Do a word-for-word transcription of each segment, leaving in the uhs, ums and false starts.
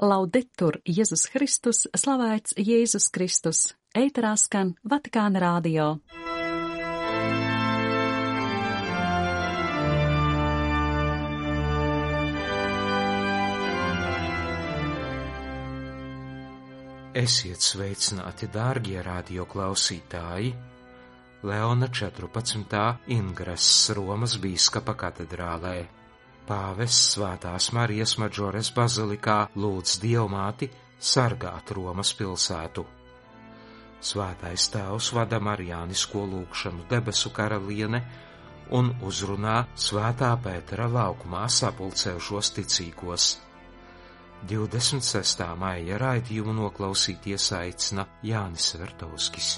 Laudetur Jēzus Kristus, slavēts Jēzus Kristus, ēterā skan Vatikāna radio. Esiet sveicināti, dārgie radio klausītāji! Leona četrpadsmitā ingrests Romas bīskapa katedrālē. Pāvests Svētās Marijas Maģores bazilikā lūdz Dievmāti sargāt Romas pilsētu. Svētais Tēvs vada marijānisko lūgšanu debesu karaliene un uzrunā Svētā Pētera laukumā sapulcējušos ticīgos. divdesmit sestā maija raidījumu noklausīties aicina Jānis Vertovskis.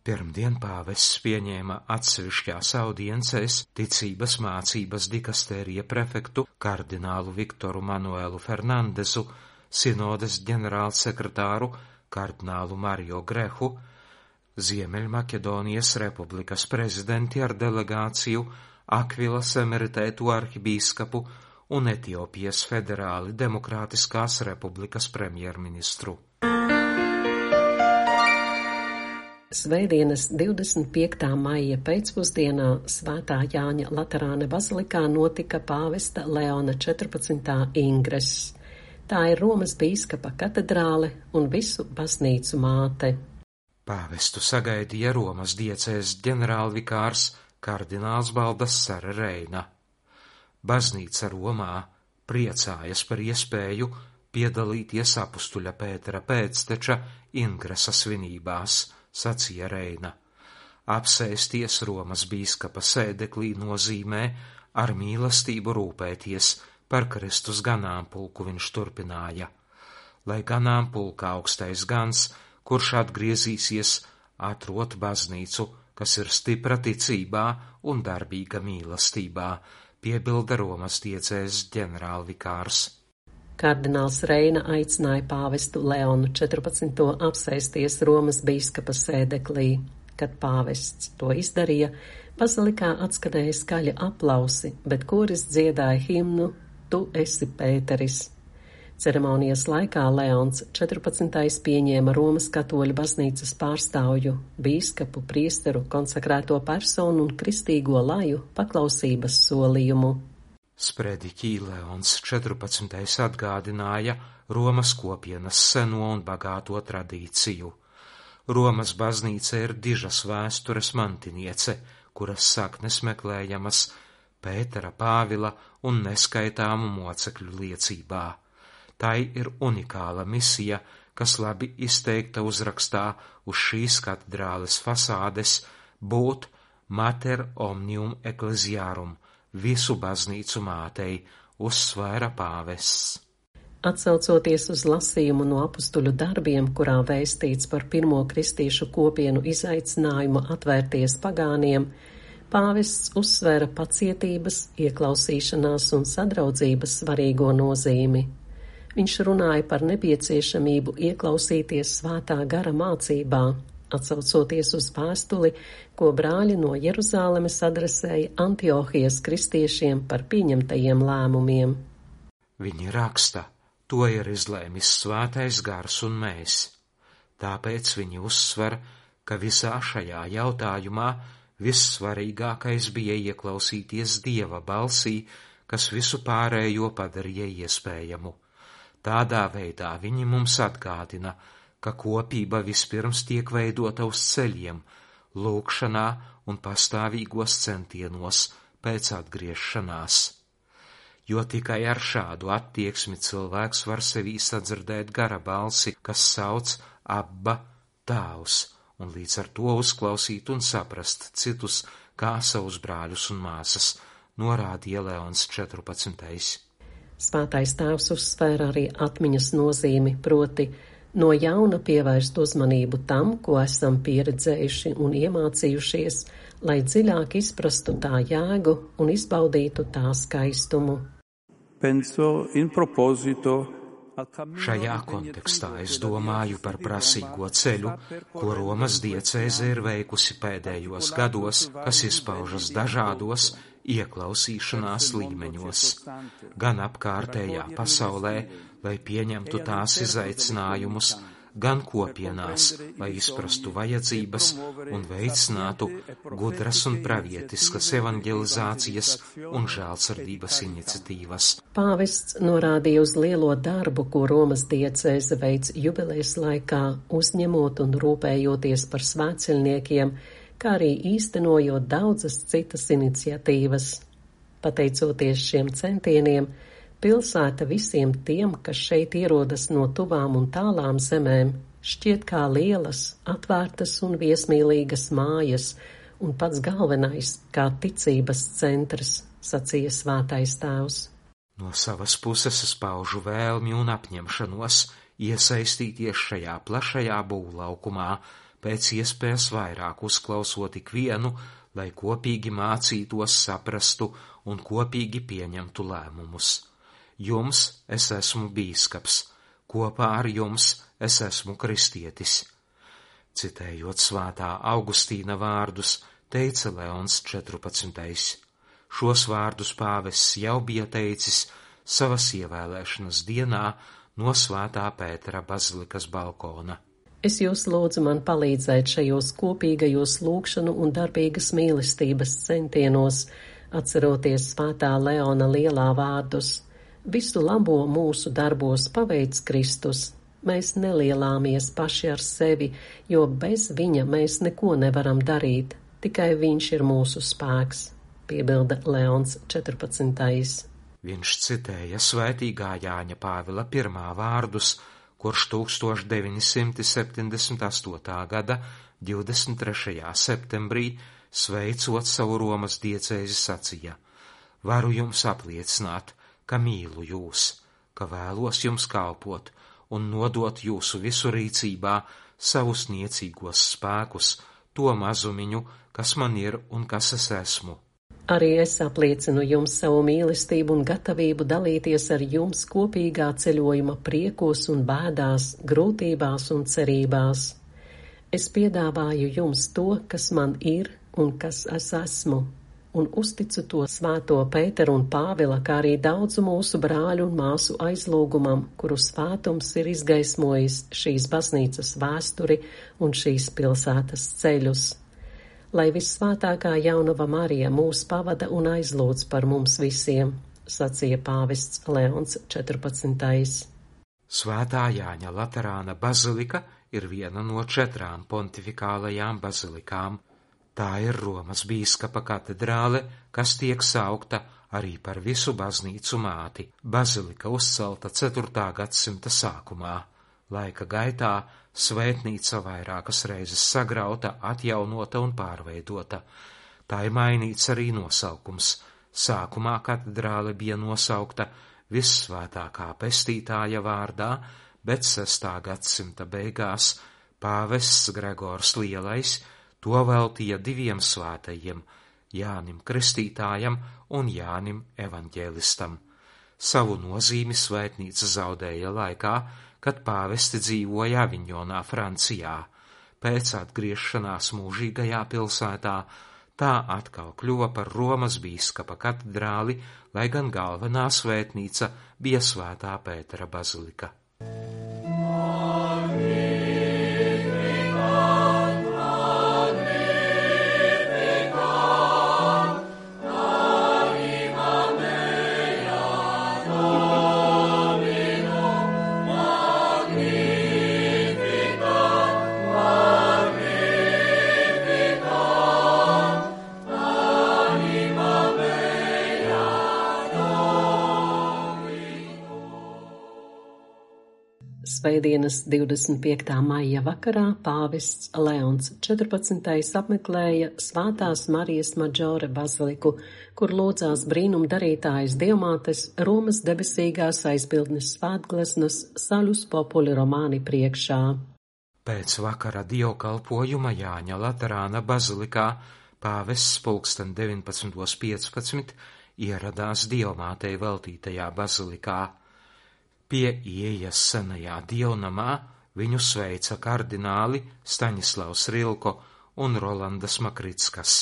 Pirmdien pāvests pieņēma atsevišķās audiencēs ticības mācības dikastērija prefektu kardinālu Viktoru Manuelu Fernandesu, sinodes ģenerālsekretāru kardinālu Mario Grehu, Ziemeļmaķedonijas republikas prezidenti ar delegāciju, Akvilas emeritētu arhibīskapu un Etiopijas federāli demokrātiskās republikas premjerministru. Svētdienas divdesmit piektā maija pēcpusdienā Svētā Jāņa Laterāna bazilikā notika pāvesta Leona četrpadsmitā ingress. Tā ir Romas bīskapa katedrāle un visu baznīcu māte. Pāvestu sagaidīja Romas diecēs ģenerālvikārs kardināls Baldassare Reina. Baznīca Romā priecājas par iespēju piedalīties apustuļa Pētera pēcteča ingresa svinībās, sacīja Reina. Apsēsties Romas bīskapa sēdeklī nozīmē ar mīlestību rūpēties par Kristus ganāmpulku, viņš turpināja. Lai ganāmpulka augstais gans, kurš atgriezīsies, atrot baznīcu, kas ir stipra ticībā un darbīga mīlestībā, piebilda Romas diecēs ģenerālvikārs. Kardināls Reina aicināja pāvestu Leonu četrpadsmito apsēsties Romas bīskapa sēdeklī. Kad pāvests to izdarīja, bazilikā atskanēja skaļi aplausi, bet koris dziedāja himnu Tu esi Pēteris. Ceremonijas laikā Leons četrpadsmitais pieņēma Romas katoļu baznīcas pārstāvju, bīskapu, priesteru, konsekrēto personu un kristīgo laju paklausības solījumu. Sprediķī Leons četrpadsmitais atgādināja Romas kopienas seno un bagāto tradīciju. Romas baznīca ir dižas vēstures mantiniece, kuras saknes meklējamas Pētera, Pāvila un neskaitāmu mocekļu liecībā. Tai ir unikāla misija, kas labi izteikta uzrakstā uz šīs katedrāles fasādes būt Mater omnium ecclesiarum, visu baznīcu mātei, uzsvēra pāvests. Atsaucoties uz lasījumu no apustuļu darbiem, kurā vēstīts par pirmo kristīšu kopienu izaicinājumu atvērties pagāniem, pāvests uzsvēra pacietības, ieklausīšanās un sadraudzības svarīgo nozīmi. Viņš runāja par nepieciešamību ieklausīties svētā gara mācībā, atsaucoties uz vēstuli, ko brāļi no Jeruzālemes adresēja Antiohijas kristiešiem par pieņemtajiem lēmumiem. Viņi raksta, to ir izlēmis svētais gars un mēs. Tāpēc viņi uzsver, ka visā šajā jautājumā vissvarīgākais bija ieklausīties Dieva balsī, kas visu pārējo padarīja iespējamu. Tādā veidā viņi mums atgādina, ka kopība vispirms tiek veidota uz ceļiem, lūgšanā un pastāvīgos centienos pēc atgriešanās. Jo tikai ar šādu attieksmi cilvēks var sevī sadzirdēt gara balsi, kas sauc Abba, Tēvs, un līdz ar to uzklausīt un saprast citus kā savus brāļus un māsas, norādīja Leons četrpadsmitais. Svētais Tēvs uzsvēra arī atmiņas nozīmi, proti no jauna pievērst uzmanību tam, ko esam pieredzējuši un iemācījušies, lai dziļāk izprastu tā jēgu un izbaudītu tā skaistumu. Penso in proposito Šajā kontekstā es domāju par prasīgo ceļu, ko Romas diecēze ir veikusi pēdējos gados, kas izpaužas dažādos ieklausīšanās līmeņos, gan apkārtējā pasaulē, lai pieņemtu tās izaicinājumus, gan kopienās, lai izprastu vajadzības un veicinātu gudras un pravietiskas evanģelizācijas un žēlsirdības iniciatīvas. Pāvests norādīja uz lielo darbu, ko Romas diecēze veic jubilejas laikā, uzņemot un rūpējoties par svētceļniekiem, kā arī īstenojot daudzas citas iniciatīvas. Pateicoties šiem centieniem, pilsēta visiem tiem, kas šeit ierodas no tuvām un tālām zemēm, šķiet kā lielas, atvērtas un viesmīlīgas mājas, un pats galvenais kā ticības centrs, sacīja svētais tēvs. No savas puses es paužu vēlmi un apņemšanos iesaistīties šajā plašajā būvlaukumā, pēc iespējas vairāk uzklausot ikvienu, lai kopīgi mācītos, saprastu un kopīgi pieņemtu lēmumus. Jums es esmu bīskaps, kopā ar jums es esmu kristietis. Citējot svētā Augustīna vārdus, teica Leons četrpadsmitais. Šos vārdus pāvests jau bija teicis savas ievēlēšanas dienā no svētā Pētera bazilikas balkona. Es jūs lūdzu man palīdzēt šajos kopīgajos lūgšanu un darbīgas mīlestības centienos, atceroties svētā Leona lielā vārdus. Visu labo mūsu darbos paveic Kristus. Mēs nelielāmies paši ar sevi, jo bez viņa mēs neko nevaram darīt. Tikai viņš ir mūsu spēks, piebilda Leons četrpadsmitais. Viņš citēja svētīgā Jāņa Pāvila pirmā vārdus, kurš tūkstoš deviņi simti septiņdesmit astotā gada divdesmit trešajā septembrī, sveicot savu Romas diecēzi, sacīja: Varu jums apliecināt, ka mīlu jūs, ka vēlos jums kalpot un nodot jūsu visu rīcībā savus niecīgos spēkus, to mazumiņu, kas man ir un kas es esmu. Arī es apliecinu jums savu mīlestību un gatavību dalīties ar jums kopīgā ceļojuma priekos un bēdās, grūtībās un cerībās. Es piedāvāju jums to, kas man ir un kas es esmu, un uzticu to svēto Pēteru un Pāvila, kā arī daudzu mūsu brāļu un māsu aizlūgumam, kuru svētums ir izgaismojis šīs baznīcas vēsturi un šīs pilsētas ceļus. Lai vissvētākā jaunava Marija mūs pavada un aizlūdz par mums visiem, sacīja pāvests Leons četrpadsmitais. Svētā Jāņa Laterāna bazilika ir viena no četrām pontifikālajām bazilikām. Tā ir Romas bīskapa katedrāle, kas tiek saukta arī par visu baznīcu māti. Bazilika uzcelta ceturtā gadsimta sākumā. Laika gaitā svētnīca vairākas reizes sagrauta, atjaunota un pārveidota. Tā ir mainīts arī nosaukums. Sākumā katedrāle bija nosaukta Vissvētākā pestītāja vārdā, bet sestā gadsimta beigās pāvests Gregors Lielais to veltīja diviem svētajiem, Jānim Kristītājam un Jānim Evaņģēlistam. Savu nozīmi svētnīca zaudēja laikā, kad pāvesti dzīvoja Aviņonā, Francijā. Pēc atgriešanās mūžīgajā pilsētā tā atkal kļuva par Romas bīskapa katedrāli, lai gan galvenā svētnīca bija svētā Pētera bazilika. Svētdienas divdesmit piektā maija vakarā pāvests Leons četrpadsmitais apmeklēja Svētās Marijas Maģore baziliku, kur lūdzās brīnumdarītājas Dievmātes Romas debesīgās aizbildnes svētgleznas Salus Populi Romani priekšā. Pēc vakara dievkalpojuma Jāņa Laterāna bazilikā pāvests pulksten deviņpadsmit piecpadsmit ieradās Dievmātei veltītajā bazilikā. Pie ieejas senajā dievnamā viņu sveica kardināli Staņislavs Rilko un Rolandas Makrickas.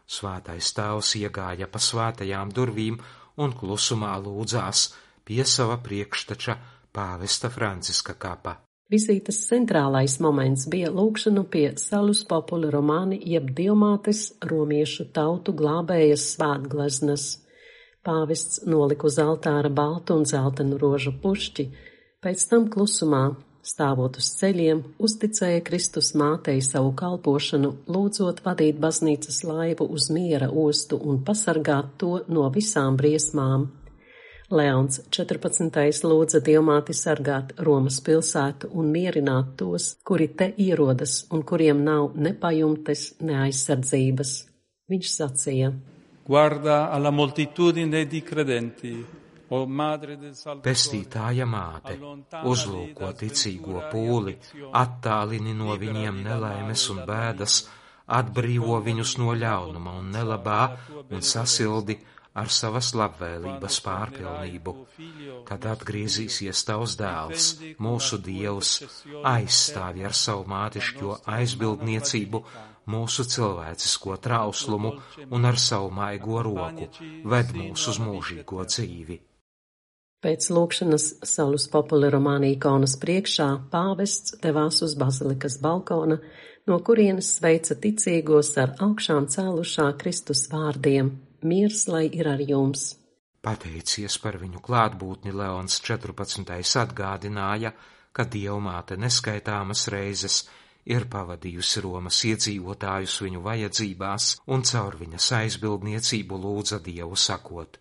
Svētais tēvs iegāja pa svētajām durvīm un klusumā lūdzās pie sava priekšteča pāvesta Franciska kapa. Vizītes centrālais moments bija lūgšanu pie Salus Populi Romani jeb Dievmātes romiešu tautu glābējas svētgleznas. Pāvests nolika uz altāra baltu un zeltainu rožu pušķi, pēc tam klusumā, stāvot uz ceļiem, uzticēja Kristus mātei savu kalpošanu, lūdzot vadīt baznīcas laivu uz miera ostu un pasargāt to no visām briesmām. Leons četrpadsmitais lūdza Dievmāti sargāt Romas pilsētu un mierināt tos, kuri te ierodas un kuriem nav ne pajumtes, ne aizsardzības. Viņš sacīja: Guarda alla moltitudine di credenti, o madre del Salvatore. Pestītāja māte, uzlūko ticīgo pūli, attālini no viņiem nelaimes un bēdas, atbrīvo viņus no ļaunuma un nelabā un sasildi ar savas labvēlības pārpilnību. Kad atgriezīsies tavs dēls, mūsu Dievs, aizstāvi ar savu mātišķo aizbildniecību mūsu cilvēcisko trauslumu un ar savu maigo roku ved mūs uz mūžīgo dzīvi. Pēc lūgšanas Salus Populi Romani ikonas priekšā pāvests devās uz bazilikas balkona, no kurienes sveica ticīgos ar augšām cēlušā Kristus vārdiem: miers lai ir ar jums. Pateicies par viņu klātbūtni, Leons četrpadsmitais atgādināja, ka Dievmāte neskaitāmas reizes ir pavadījusi Romas iedzīvotājus viņu vajadzībās un caur viņas aizbildniecību lūdza Dievu sakot: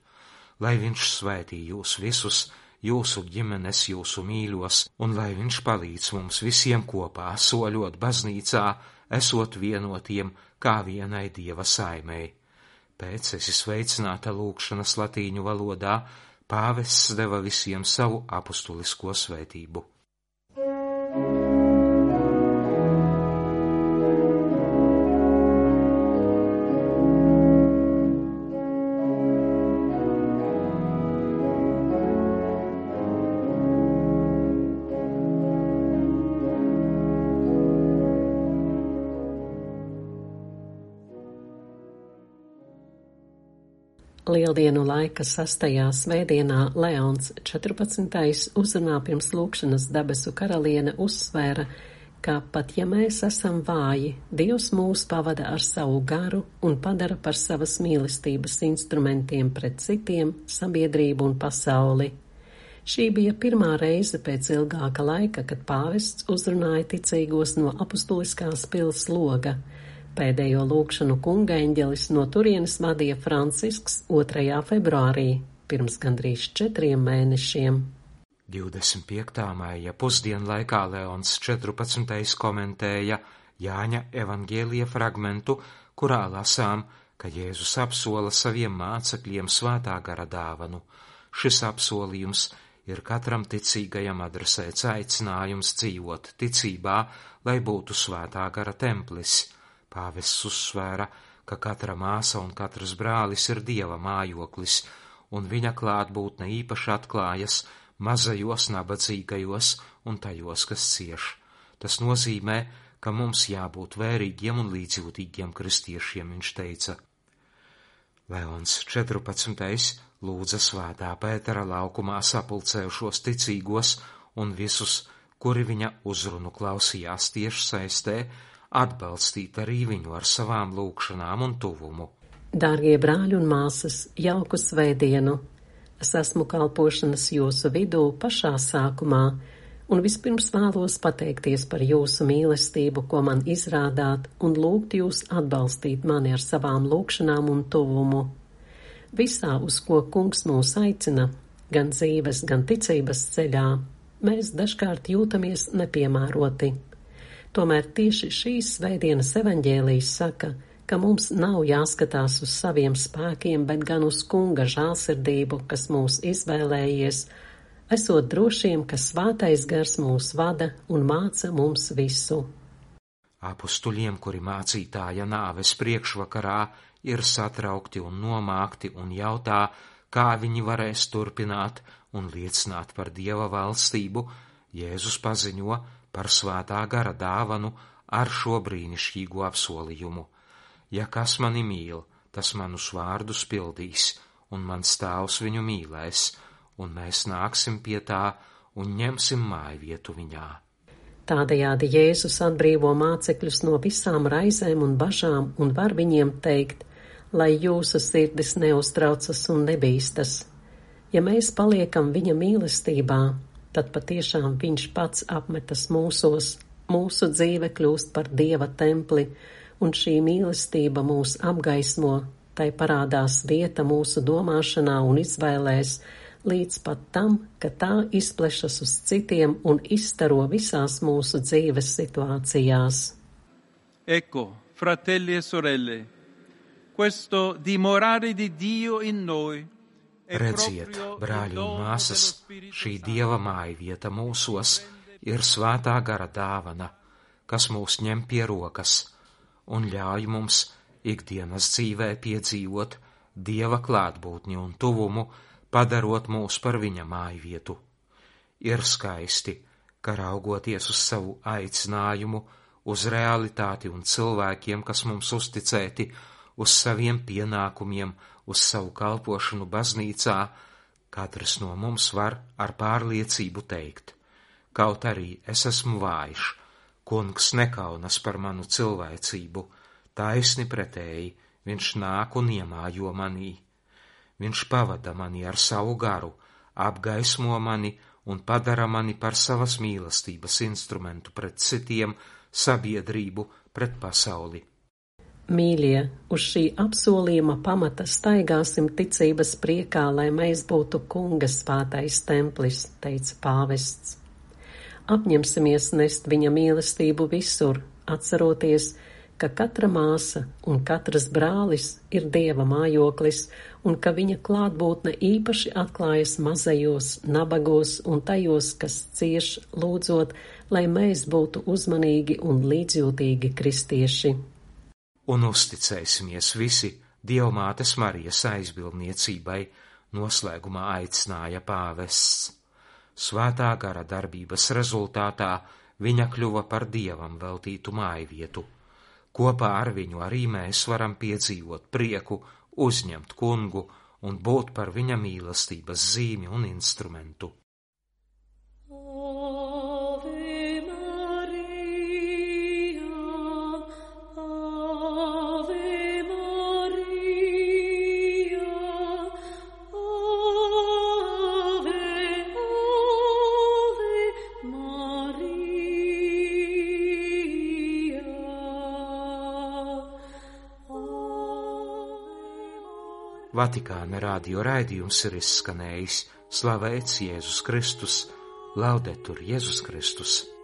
lai viņš svētī jūs visus, jūsu ģimenes, jūsu mīļos, un lai viņš palīdz mums visiem kopā soļot baznīcā, esot vienotiem kā vienai Dieva saimei. Pēc esi sveicināta lūgšanas latīņu valodā, pāvests deva visiem savu apustulisko svētību. Lieldienu laika sastajā svētdienā Leons četrpadsmitais uzrunā pirms lūgšanas debesu karaliene uzsvēra, ka pat ja mēs esam vāji, Dievs mūs pavada ar savu garu un padara par savas mīlestības instrumentiem pret citiem, sabiedrību un pasauli. Šī bija pirmā reize pēc ilgāka laika, kad pāvests uzrunāja ticīgos no apustuliskās pils loga. Pēdējo lūgšanu kungaeņģelis no turienes vadīja Francisks otrajā februārī, pirms gandrīz četriem mēnešiem. divdesmit piektā maija pusdienlaikā Leons četrpadsmitais komentēja Jāņa evaņģēlija fragmentu, kurā lasām, ka Jēzus apsola saviem mācekļiem svētā gara dāvanu. Šis apsolījums ir katram ticīgajam adresēts aicinājums dzīvot ticībā, lai būtu svētā gara templis. Pāvests uzsvēra, ka katra māsa un katrs brālis ir Dieva mājoklis, un viņa klātbūtne īpaši atklājas mazajos nabadzīgajos un tajos, kas cieš. Tas nozīmē, ka mums jābūt vērīgiem un līdzjūtīgiem kristiešiem, viņš teica. Leons četrpadsmitais lūdza svētā Pētera laukumā sapulcējušos ticīgos un visus, kuri viņa uzrunu klausījās tieši saistē, atbalstīt arī viņu ar savām lūgšanām un tuvumu. Dārgie brāļi un māsas, jauku svētdienu! Es esmu kalpošanas jūsu vidū pašā sākumā, un vispirms vēlos pateikties par jūsu mīlestību, ko man izrādāt, un lūgt jūs atbalstīt mani ar savām lūgšanām un tuvumu. Visā, uz ko kungs mūs aicina, gan dzīves, gan ticības ceļā, mēs dažkārt jūtamies nepiemēroti. Tomēr tieši šīs svētdienas evaņģēlijs saka, ka mums nav jāskatās uz saviem spēkiem, bet gan uz Kunga žālsirdību, kas mūs izvēlējies, esot drošiem, ka svētais gars mūs vada un māca mums visu. Apustuļiem, kuri mācītāja nāves priekšvakarā ir satraukti un nomākti un jautā, kā viņi varēs turpināt un liecināt par Dieva valstību, Jēzus paziņo par svētā gara dāvanu ar šo brīnišķīgo apsolījumu. Ja kas mani mīl, tas manus vārdus pildīs, un mans tēvs viņu mīlēs, un mēs nāksim pie tā un ņemsim mājvietu viņā. Tādējādi Jēzus atbrīvo mācekļus no visām raizēm un bažām un var viņiem teikt, lai jūsu sirdis neuztraucas un nebīstas. Ja mēs paliekam viņa mīlestībā, tad patiešām viņš pats apmetas mūsos, mūsu dzīve kļūst par Dieva templi, un šī mīlestība mūs apgaismo, tai parādās vieta mūsu domāšanā un izvēlēs, līdz pat tam, ka tā izplešas uz citiem un izstaro visās mūsu dzīves situācijās. Ecco, fratelli e sorelle, questo dimorare di Dio in noi. Redziet, brāļi un māsas, šī Dieva mājvieta mūsos ir svētā gara dāvana, kas mūs ņem pie rokas un ļauj mums ikdienas dzīvē piedzīvot Dieva klātbūtni un tuvumu, padarot mūs par viņa mājvietu. Ir skaisti, ka raugoties uz savu aicinājumu, uz realitāti un cilvēkiem, kas mums uzticēti, uz saviem pienākumiem, uz savu kalpošanu baznīcā, katrs no mums var ar pārliecību teikt: kaut arī es esmu vājš, Kungs nekaunas par manu cilvēcību, taisni pretēji, viņš nāk un iemājo manī. Viņš pavada mani ar savu garu, apgaismo mani un padara mani par savas mīlestības instrumentu pret citiem, sabiedrību, pret pasauli. Mīļie, uz šī apsolījuma pamata staigāsim ticības priekā, lai mēs būtu Kunga svētais templis, teica pāvests. Apņemsimies nest viņa mīlestību visur, atceroties, ka katra māsa un katrs brālis ir Dieva mājoklis un ka viņa klātbūtne īpaši atklājas mazajos, nabagos un tajos, kas cieš, lūdzot, lai mēs būtu uzmanīgi un līdzjūtīgi kristieši. Un uzticēsimies visi Dievmātes Marijas aizbildniecībai, noslēgumā aicināja pāvests. Svētā gara darbības rezultātā viņa kļuva par Dievam veltītu mājvietu. Kopā ar viņu arī mēs varam piedzīvot prieku, uzņemt Kungu un būt par viņa mīlestības zīmi un instrumentu. Vatikāna radio raidījums ir izskanējis. Slavēts Jēzus Kristus, Laudetur Jēzus Kristus.